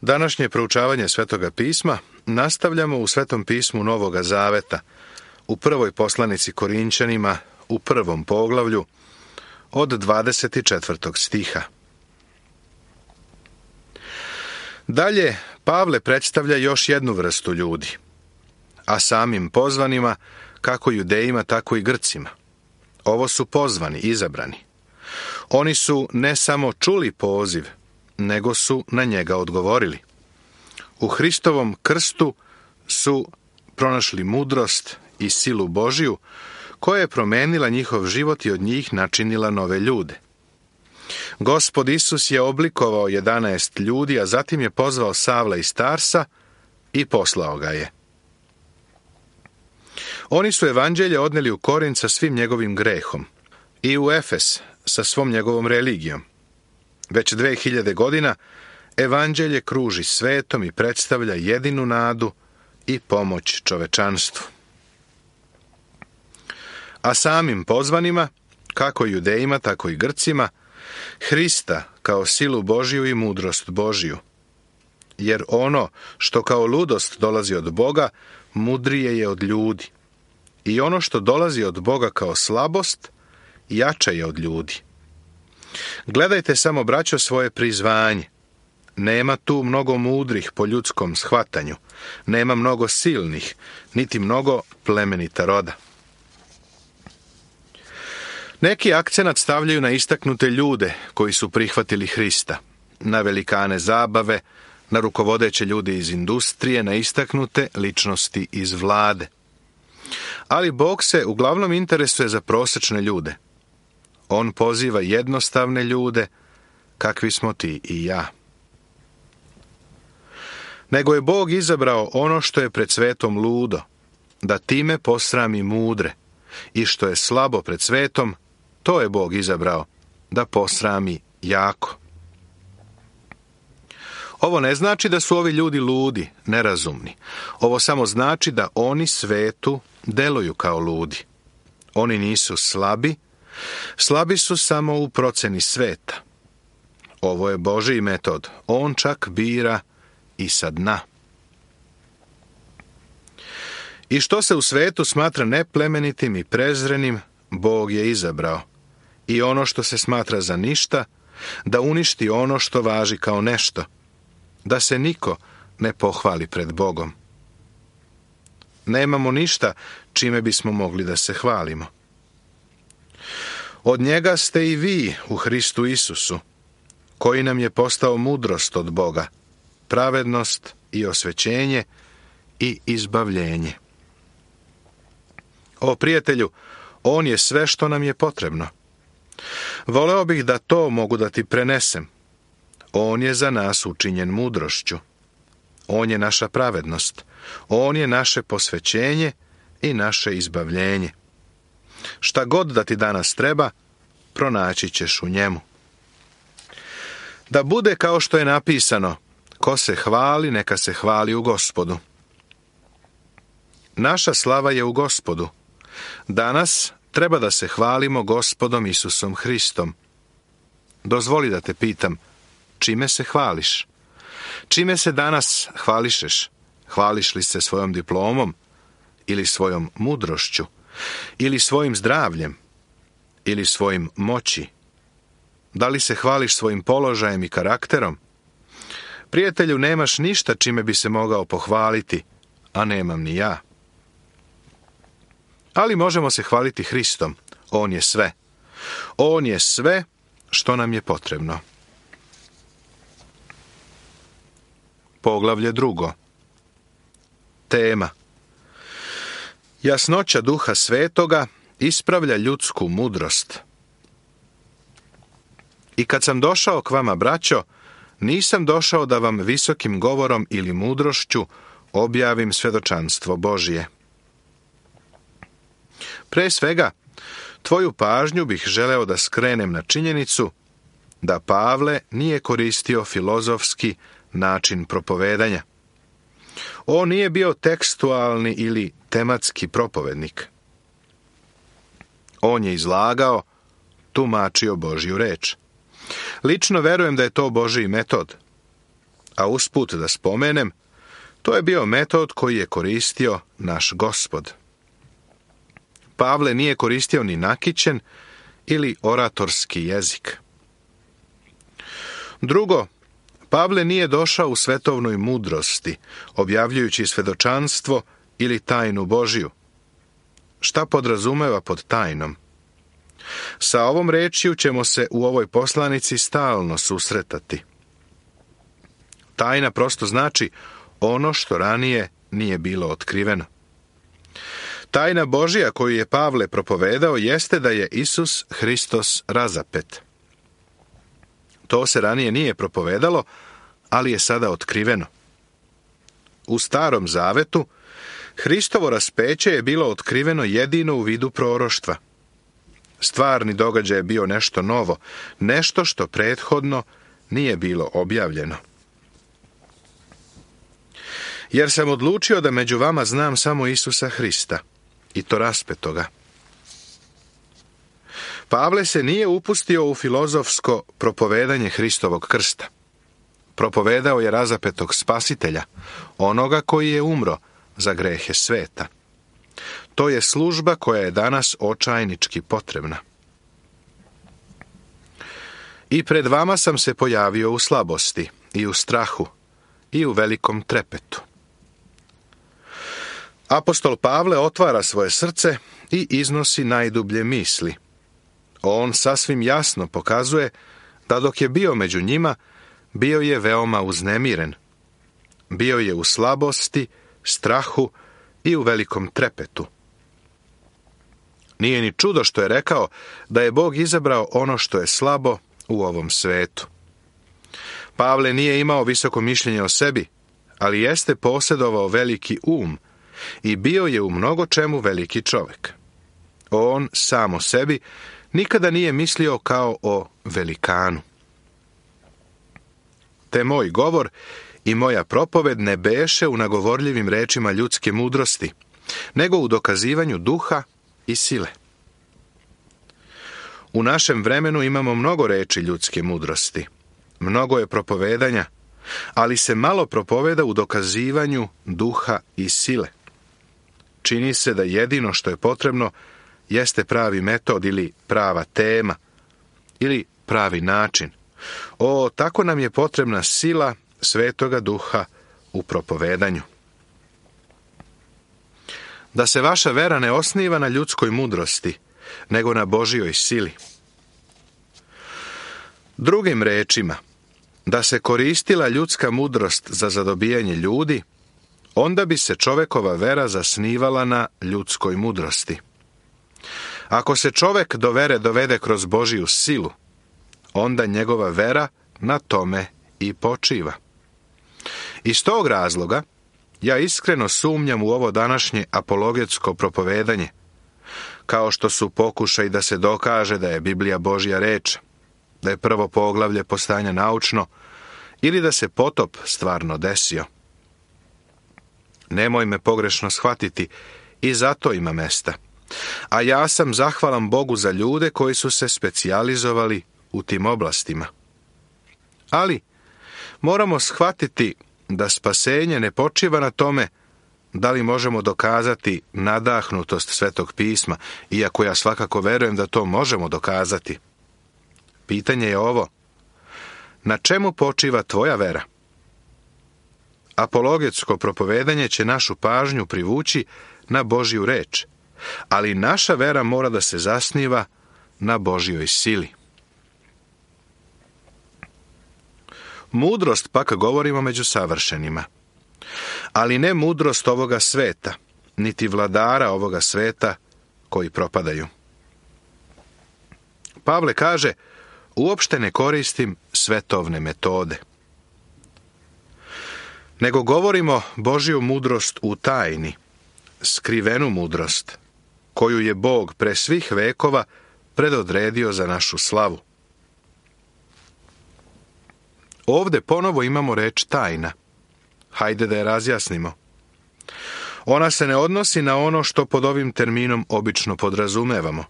Današnje proučavanje Svetoga pisma nastavljamo u Svetom pismu Novoga Zaveta, u prvoj poslanici Korinćanima, u 1. poglavlju, od 24. stiha. Dalje, Pavle predstavlja još jednu vrstu ljudi, a samim pozvanima, kako Judejima, tako i Grcima. Ovo su pozvani, izabrani. Oni su ne samo čuli poziv, nego su na njega odgovorili. U Hristovom krstu su pronašli mudrost i silu Božiju, koja je promenila njihov život i od njih načinila nove ljude. Gospod Isus je oblikovao 11 ljudi, a zatim je pozvao Savla iz Tarsa i poslao ga je. Oni su evanđelje odneli u Korint sa svim njegovim grehom i u Efes sa svom njegovom religijom. Već 2000 godina evanđelje kruži svetom i predstavlja jedinu nadu i pomoć čovečanstvu. A samim pozvanima, kako Judejima, tako i Grcima, Hrista kao silu Božiju i mudrost Božiju. Jer ono što kao ludost dolazi od Boga, mudrije je od ljudi. I ono što dolazi od Boga kao slabost, jače je od ljudi. Gledajte samo, braćo, svoje prizvanje. Nema tu mnogo mudrih po ljudskom shvatanju, nema mnogo silnih, niti mnogo plemenita roda. Neki akcenat stavljaju na istaknute ljude koji su prihvatili Hrista, na velikane zabave, na rukovodeće ljude iz industrije, na istaknute ličnosti iz vlade. Ali Bog se uglavnom interesuje za prosečne ljude. On poziva jednostavne ljude, kakvi smo ti i ja. Nego je Bog izabrao ono što je pred svetom ludo, da time posrami mudre, i što je slabo pred svetom, to je Bog izabrao, da posrami jako. Ovo ne znači da su ovi ljudi ludi, nerazumni. Ovo samo znači da oni svetu deluju kao ludi. Oni nisu slabi, slabi su samo u proceni sveta. Ovo je Božji metod, on čak bira i sa dna. I što se u svetu smatra neplemenitim i prezrenim, Bog je izabrao. I ono što se smatra za ništa, da uništi ono što važi kao nešto, da se niko ne pohvali pred Bogom. Nemamo ništa čime bismo mogli da se hvalimo. Od njega ste i vi u Hristu Isusu, koji nam je postao mudrost od Boga, pravednost i osvećenje i izbavljenje. O prijatelju, on je sve što nam je potrebno. Voleo bih da to mogu da ti prenesem. On je za nas učinjen mudrošću. On je naša pravednost. On je naše posvećenje i naše izbavljenje. Šta god da ti danas treba, pronaći ćeš u njemu. Da bude kao što je napisano, ko se hvali, neka se hvali u Gospodu. Naša slava je u Gospodu. Danas treba da se hvalimo Gospodom Isusom Hristom. Dozvoli da te pitam, čime se hvališ? Čime se danas hvališeš? Hvališ li se svojom diplomom? Ili svojom mudrošću? Ili svojim zdravljem? Ili svojim moći? Da li se hvališ svojim položajem i karakterom? Prijatelju, nemaš ništa čime bi se mogao pohvaliti, a nemam ni ja. Ali možemo se hvaliti Hristom. On je sve. On je sve što nam je potrebno. Poglavlje 2. Tema. Jasnoća Duha Svetoga ispravlja ljudsku mudrost. I kad sam došao k vama, braćo, nisam došao da vam visokim govorom ili mudrošću objavim svedočanstvo Božije. Pre svega, tvoju pažnju bih želeo da skrenem na činjenicu da Pavle nije koristio filozofski način propovedanja. On nije bio tekstualni ili tematski propovednik. On je izlagao, tumačio Božju reč. Lično verujem da je to Božji metod. A usput da spomenem, to je bio metod koji je koristio naš Gospod. Pavle nije koristio ni nakićen ili oratorski jezik. Drugo, Pavle nije došao u svetovnoj mudrosti, objavljujući svedočanstvo ili tajnu Božiju. Šta podrazumeva pod tajnom? Sa ovom rečju ćemo se u ovoj poslanici stalno susretati. Tajna prosto znači ono što ranije nije bilo otkriveno. Tajna Božja koju je Pavle propovedao jeste da je Isus Hristos razapet. To se ranije nije propovedalo, ali je sada otkriveno. U Starom Zavetu Hristovo raspeće je bilo otkriveno jedino u vidu proroštva. Stvarni događaj je bio nešto novo, nešto što prethodno nije bilo objavljeno. Jer sam odlučio da među vama znam samo Isusa Hrista, i to raspetoga. Pavle se nije upustio u filozofsko propovedanje Hristovog krsta. Propovedao je razapetog spasitelja, onoga koji je umro za grehe sveta. To je služba koja je danas očajnički potrebna. I pred vama sam se pojavio u slabosti, i u strahu, i u velikom trepetu. Apostol Pavle otvara svoje srce i iznosi najdublje misli. On sasvim jasno pokazuje da dok je bio među njima, bio je veoma uznemiren. Bio je u slabosti, strahu i u velikom trepetu. Nije ni čudo što je rekao da je Bog izabrao ono što je slabo u ovom svetu. Pavle nije imao visoko mišljenje o sebi, ali jeste posjedovao veliki um i bio je u mnogo čemu veliki čovjek. On sam o sebi nikada nije mislio kao o velikanu. Te moj govor i moja propoved ne beše u nagovorljivim rečima ljudske mudrosti, nego u dokazivanju duha i sile. U našem vremenu imamo mnogo reči ljudske mudrosti. Mnogo je propovedanja, ali se malo propoveda u dokazivanju duha i sile. Čini se da jedino što je potrebno jeste pravi metod ili prava tema ili pravi način. Tako nam je potrebna sila Svetoga Duha u propovedanju. Da se vaša vera ne osniva na ljudskoj mudrosti, nego na Božjoj sili. Drugim rečima, da se koristila ljudska mudrost za zadobijanje ljudi, onda bi se čovekova vera zasnivala na ljudskoj mudrosti. Ako se čovek do vere dovede kroz Božju silu, onda njegova vera na tome i počiva. Iz tog razloga, ja iskreno sumnjam u ovo današnje apologetsko propovedanje, kao što su pokušaj da se dokaže da je Biblija Božja reč, da je prvo poglavlje postajanja naučno ili da se potop stvarno desio. Nemoj me pogrešno shvatiti, i zato ima mesta. A ja sam zahvalan Bogu za ljude koji su se specijalizovali u tim oblastima. Ali moramo shvatiti da spasenje ne počiva na tome da li možemo dokazati nadahnutost Svetog pisma, iako ja svakako verujem da to možemo dokazati. Pitanje je ovo: na čemu počiva tvoja vera? Apologetsko propovedanje će našu pažnju privući na Božju reč, ali naša vera mora da se zasniva na Božjoj sili. Mudrost pak govorimo među savršenima, ali ne mudrost ovoga sveta, niti vladara ovoga sveta koji propadaju. Pavle kaže: uopšte ne koristim svetovne metode, nego govorimo Božju mudrost u tajni, skrivenu mudrost, koju je Bog pre svih vekova predodredio za našu slavu. Ovde ponovo imamo reč tajna. Hajde da je razjasnimo. Ona se ne odnosi na ono što pod ovim terminom obično podrazumevamo.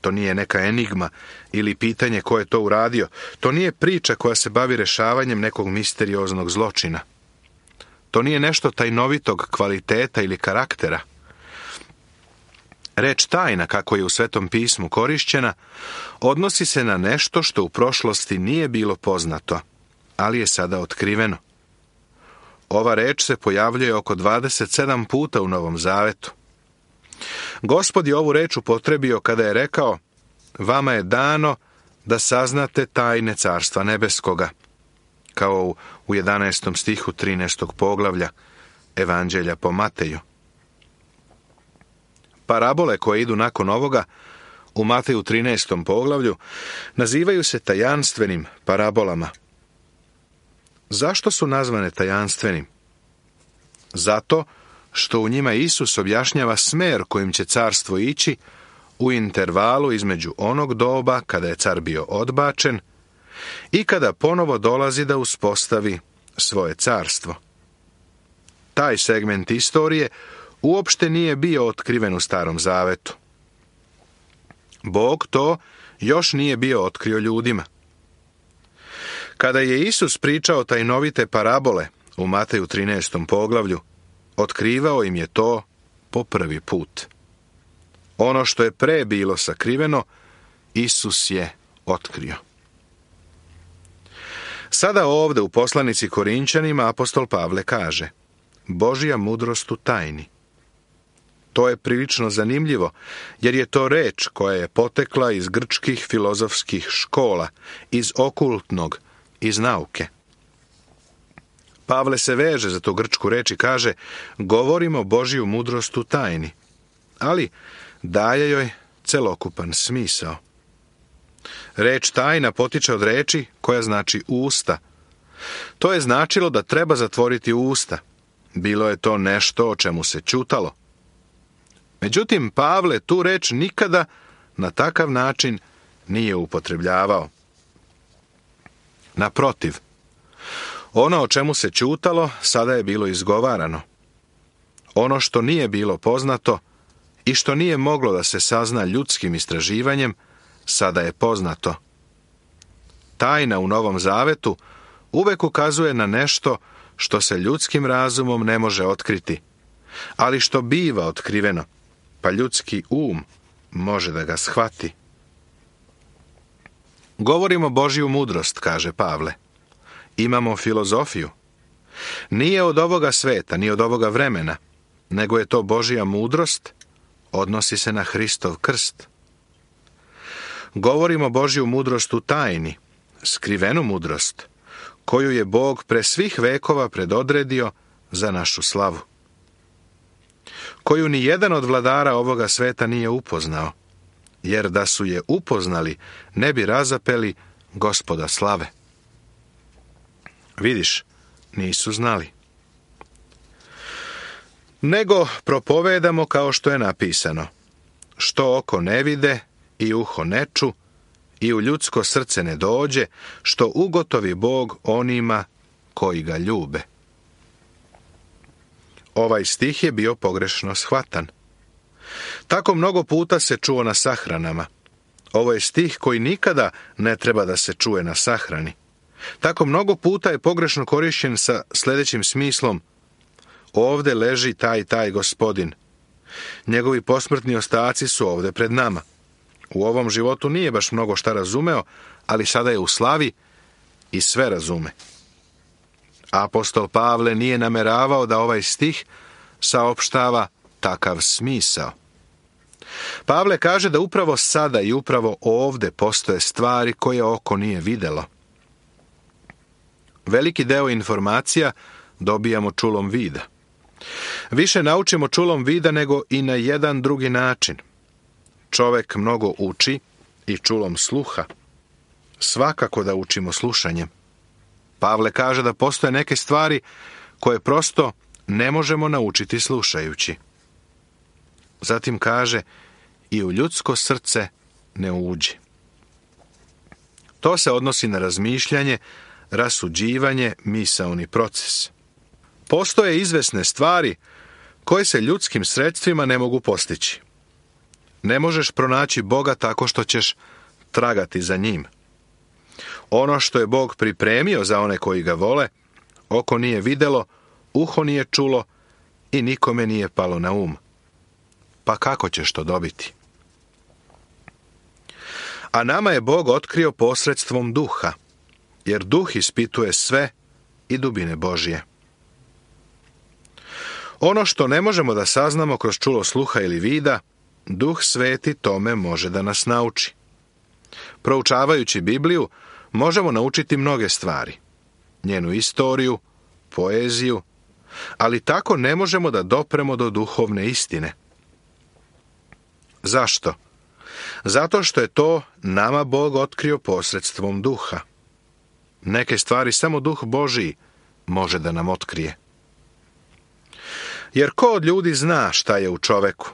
To nije neka enigma ili pitanje ko je to uradio. To nije priča koja se bavi rešavanjem nekog misterioznog zločina. To nije nešto tajnovitog kvaliteta ili karaktera. Reč tajna, kako je u Svetom pismu korišćena, odnosi se na nešto što u prošlosti nije bilo poznato, ali je sada otkriveno. Ova reč se pojavljuje oko 27 puta u Novom Zavetu. Gospod je ovu reč upotrebio kada je rekao: vama je dano da saznate tajne Carstva nebeskoga, kao u 11. stihu 13. poglavlja Evanđelja po Mateju. Parabole koje idu nakon ovoga u Mateju 13. poglavlju nazivaju se tajanstvenim parabolama. Zašto su nazvane tajanstvenim? Zato što u njima Isus objašnjava smer kojim će carstvo ići u intervalu između onog doba kada je car bio odbačen i kada ponovo dolazi da uspostavi svoje carstvo. Taj segment istorije uopšte nije bio otkriven u Starom Zavetu. Bog to još nije bio otkrio ljudima. Kada je Isus pričao tajnovite parabole u Mateju 13. poglavlju, otkrivao im je to po prvi put. Ono što je pre bilo sakriveno, Isus je otkrio. Sada ovde u poslanici Korinćanima apostol Pavle kaže: Božja mudrost u tajni. To je prilično zanimljivo, jer je to reč koja je potekla iz grčkih filozofskih škola, iz okultnog, iz nauke. Pavle se veže za tu grčku reč i kaže: govorimo Božju mudrost u tajni, ali daje joj celokupan smisao. Reč tajna potiče od reči koja znači usta. To je značilo da treba zatvoriti usta. Bilo je to nešto o čemu se ćutalo. Međutim, Pavle tu reč nikada na takav način nije upotrebljavao. Naprotiv, ono o čemu se ćutalo sada je bilo izgovarano. Ono što nije bilo poznato i što nije moglo da se sazna ljudskim istraživanjem, sada je poznato. Tajna u Novom Zavetu uvek ukazuje na nešto što se ljudskim razumom ne može otkriti, ali što biva otkriveno, pa ljudski može da ga shvati. Govorimo Božju mudrost, kaže Pavle. Imamo filozofiju. Nije od ovoga sveta, ni od ovoga vremena, nego je to Božja mudrost, odnosi se na Hristov krst. Govorimo Božju mudrost u tajni, skrivenu mudrost, koju je Bog pre svih vekova predodredio za našu slavu, koju ni jedan od vladara ovoga sveta nije upoznao, jer da su je upoznali, ne bi razapeli Gospoda slave. Vidiš, nisu znali. Nego propovedamo kao što je napisano: što oko ne vide i uho ne ču i u ljudsko srce ne dođe, što ugotovi Bog onima koji ga ljube. Ovaj stih je bio pogrešno shvatan. Tako mnogo puta se čuo na sahranama. Ovo je stih koji nikada ne treba da se čuje na sahrani. Tako mnogo puta je pogrešno korišćen sa sljedećim smislom: ovde leži taj gospodin. Njegovi posmrtni ostaci su ovde pred nama. U ovom životu nije baš mnogo šta razumeo, ali sada je u slavi i sve razume. Apostol Pavle nije nameravao da ovaj stih saopštava takav smisao. Pavle kaže da upravo sada i upravo ovde postoje stvari koje oko nije videlo. Veliki deo informacija dobijamo čulom vida. Više naučimo čulom vida nego i na jedan drugi način. Čovek mnogo uči i čulom sluha. Svakako da učimo slušanjem. Pavle kaže da postoje neke stvari koje prosto ne možemo naučiti slušajući. Zatim kaže: i u ljudsko srce ne uđi. To se odnosi na razmišljanje, rasuđivanje, misaoni proces. Postoje izvesne stvari koje se ljudskim sredstvima ne mogu postići. Ne možeš pronaći Boga tako što ćeš tragati za njim. Ono što je Bog pripremio za one koji ga vole, oko nije vidjelo, uho nije čulo i nikome nije palo na um. Pa kako ćeš to dobiti? A nama je Bog otkrio posredstvom duha, jer duh ispituje sve i dubine Božje. Ono što ne možemo da saznamo kroz čulo sluha ili vida, Duh Sveti tome može da nas nauči. Proučavajući Bibliju, možemo naučiti mnoge stvari. Njenu istoriju, poeziju, ali tako ne možemo da dopremo do duhovne istine. Zašto? Zato što je to nama Bog otkrio posredstvom duha. Neke stvari samo Duh Božiji može da nam otkrije. Jer ko od ljudi zna šta je u čoveku,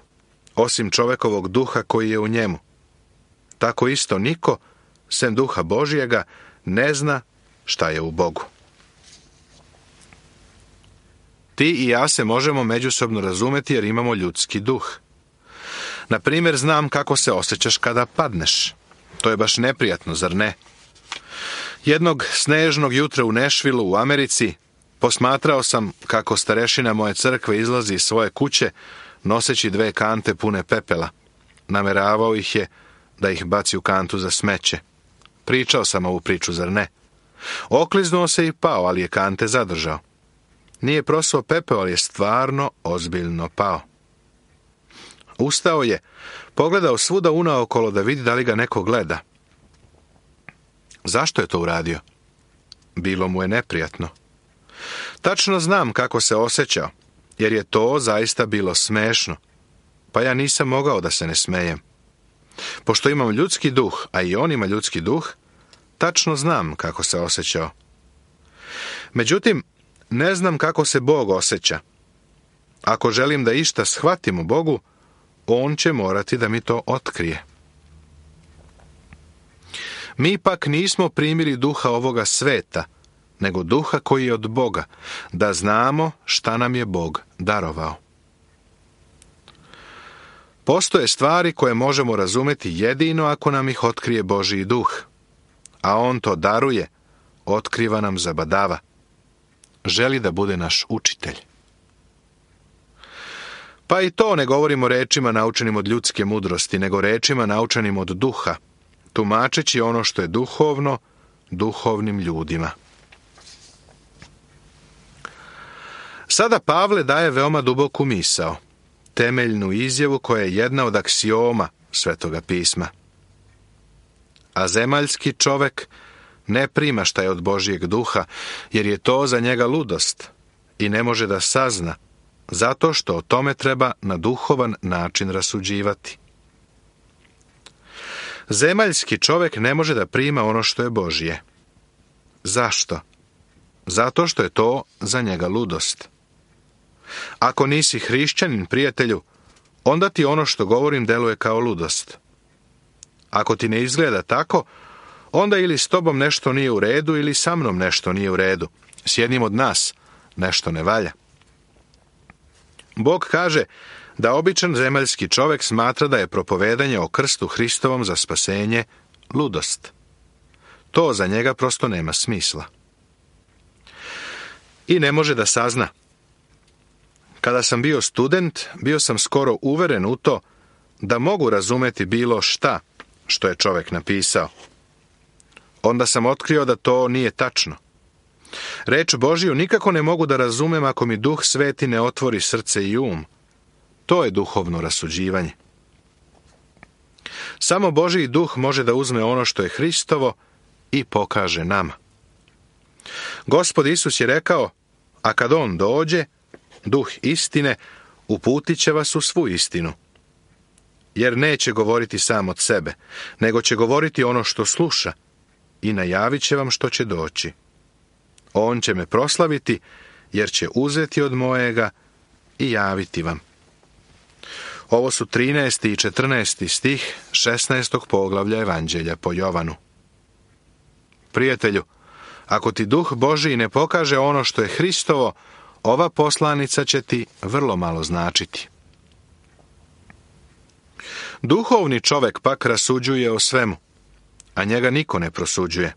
osim čovekovog duha koji je u njemu? Tako isto niko, sem Duha Božijega, ne zna šta je u Bogu. Ti i ja se možemo međusobno razumeti jer imamo ljudski duh. Na primjer, znam kako se osjećaš kada padneš. To je baš neprijatno, zar ne? Jednog snežnog jutra u Nashvilleu u Americi posmatrao sam kako starešina moje crkve izlazi iz svoje kuće noseći 2 kante pune pepela. Nameravao ih je da ih baci u kantu za smeće. Pričao sam ovu priču, zar ne? Okliznuo se i pao, ali je kante zadržao. Nije prosuo pepeo, ali je stvarno ozbiljno pao. Ustao je, pogledao svuda unaokolo da vidi da li ga neko gleda. Zašto je to uradio? Bilo mu je neprijatno. Tačno znam kako se osjećao, jer je to zaista bilo smešno, pa ja nisam mogao da se ne smejem. Pošto imam ljudski duh, a i on ima ljudski duh, tačno znam kako se osjećao. Međutim, ne znam kako se Bog osjeća. Ako želim da išta shvatim u Bogu, on će morati da mi to otkrije. Mi pak nismo primili duha ovoga sveta, nego duha koji je od Boga, da znamo šta nam je Bog darovao. Postoje stvari koje možemo razumeti jedino ako nam ih otkrije Božji duh, a on to daruje, otkriva nam zabadava. Želi da bude naš učitelj. Pa i to ne govorimo rečima naučenim od ljudske mudrosti, nego rečima naučenim od duha, tumačeći ono što je duhovno, duhovnim ljudima. Sada Pavle daje veoma duboku misao, temeljnu izjavu koja je jedna od aksioma Svetoga pisma. A zemaljski čovek ne prima šta je od Božjeg duha, jer je to za njega ludost i ne može da sazna, zato što o tome treba na duhovan način rasuđivati. Zemaljski čovek ne može da prima ono što je Božje. Zašto? Zato što je to za njega ludost. Ako nisi hrišćanin, prijatelju, onda ti ono što govorim deluje kao ludost. Ako ti ne izgleda tako, onda ili s tobom nešto nije u redu ili sa mnom nešto nije u redu. S jednim od nas nešto ne valja. Bog kaže da običan zemaljski čovek smatra da je propovedanje o krstu Hristovom za spasenje ludost. To za njega prosto nema smisla. I ne može da sazna. Kada sam bio student, bio sam skoro uveren u to da mogu razumeti bilo šta što je čovek napisao. Onda sam otkrio da to nije tačno. Reč Božiju nikako ne mogu da razumem ako mi Duh Sveti ne otvori srce i um. To je duhovno rasuđivanje. Samo Božji duh može da uzme ono što je Hristovo i pokaže nama. Gospod Isus je rekao, a kad on dođe, Duh istine, uputit će vas u svu istinu. Jer neće govoriti sam od sebe, nego će govoriti ono što sluša i najavit će vam što će doći. On će me proslaviti, jer će uzeti od mojega i javiti vam. Ovo su 13. i 14. stih 16. poglavlja Evanđelja po Jovanu. Prijatelju, ako ti Duh Božji ne pokaže ono što je Hristovo, ova poslanica će ti vrlo malo značiti. Duhovni čovjek pak rasuđuje o svemu, a njega niko ne prosuđuje.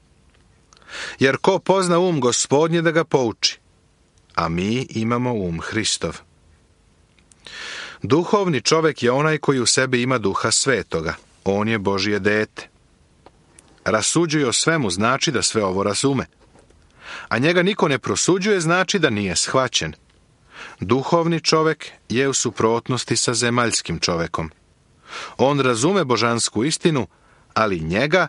Jer ko pozna um Gospodnje da ga pouči, a mi imamo um Hristov. Duhovni čovjek je onaj koji u sebi ima Duha Svetoga. On je Božje dete. Rasuđuje o svemu znači da sve ovo razume. A njega niko ne prosuđuje znači da nije shvaćen. Duhovni čovjek je u suprotnosti sa zemaljskim čovjekom. On razume božansku istinu, ali njega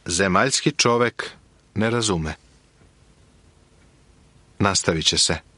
zemaljski čovjek ne razume. Nastavit će se.